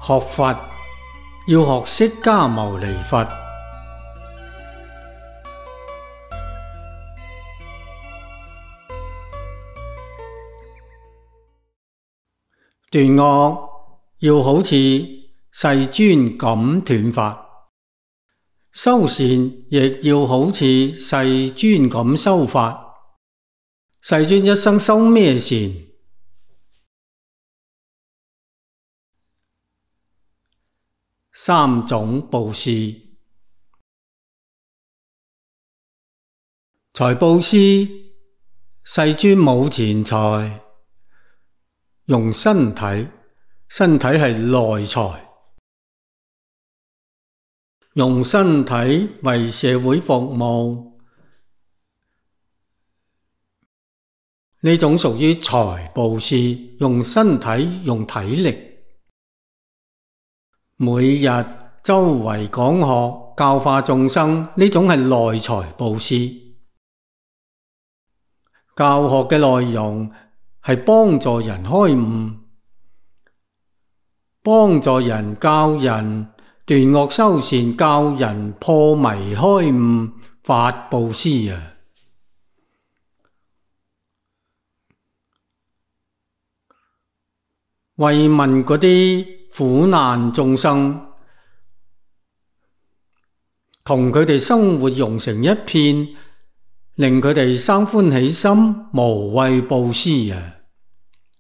學佛要學釋迦牟尼佛。斷惡要好似世尊咁斷法，修善亦要好似世尊咁修法。世尊一生修咩善？三種布施。財布施，世尊冇錢財，用身體，身體係內財，用身體為社會服務，呢種屬於財布施，用身體，用體力。每日周圍講學，教化眾生，呢種係內財布施。教學嘅內容係幫助人開悟，幫助人教人斷惡修善，教人破迷開悟，法布施啊！慰問嗰啲苦難眾生，同佢哋生活融成一片，令佢哋生歡喜心，無畏布施啊！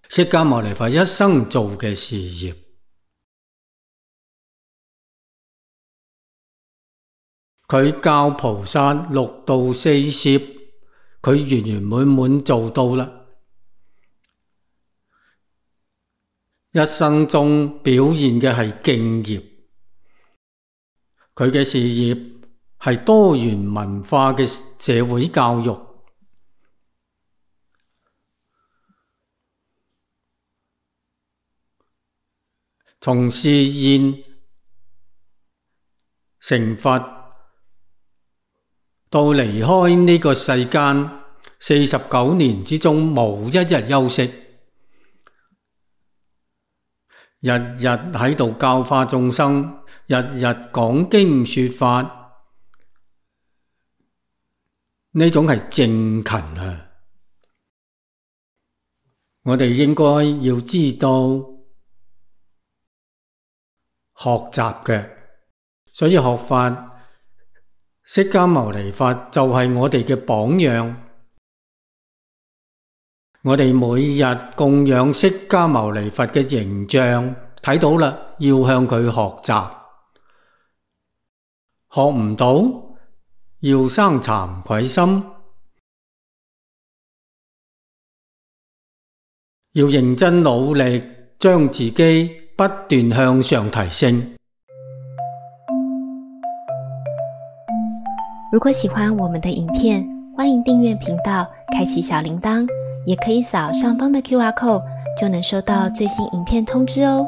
釋迦牟尼佛一生做嘅事業，佢教菩薩六度四攝，佢圓圓滿滿做到啦。一生中表現嘅係敬業，佢嘅事業係多元文化嘅社會教育，從示現成佛到離開呢個世間49年之中，無一日休息。日日喺度教化眾生，日日講經說法，呢種係正勤啊！我哋應該要知道學習嘅，所以學法，釋迦牟尼佛就係我哋嘅榜樣。我哋每日供養釋迦牟尼佛嘅形象，睇到啦，要向佢學習。學唔到，要生慚愧心，要認真努力，將自己不斷向上提升。如果喜歡我們的影片，歡迎訂閱頻道，開啟小鈴鐺，也可以掃上方的QR code，就能收到最新影片通知哦。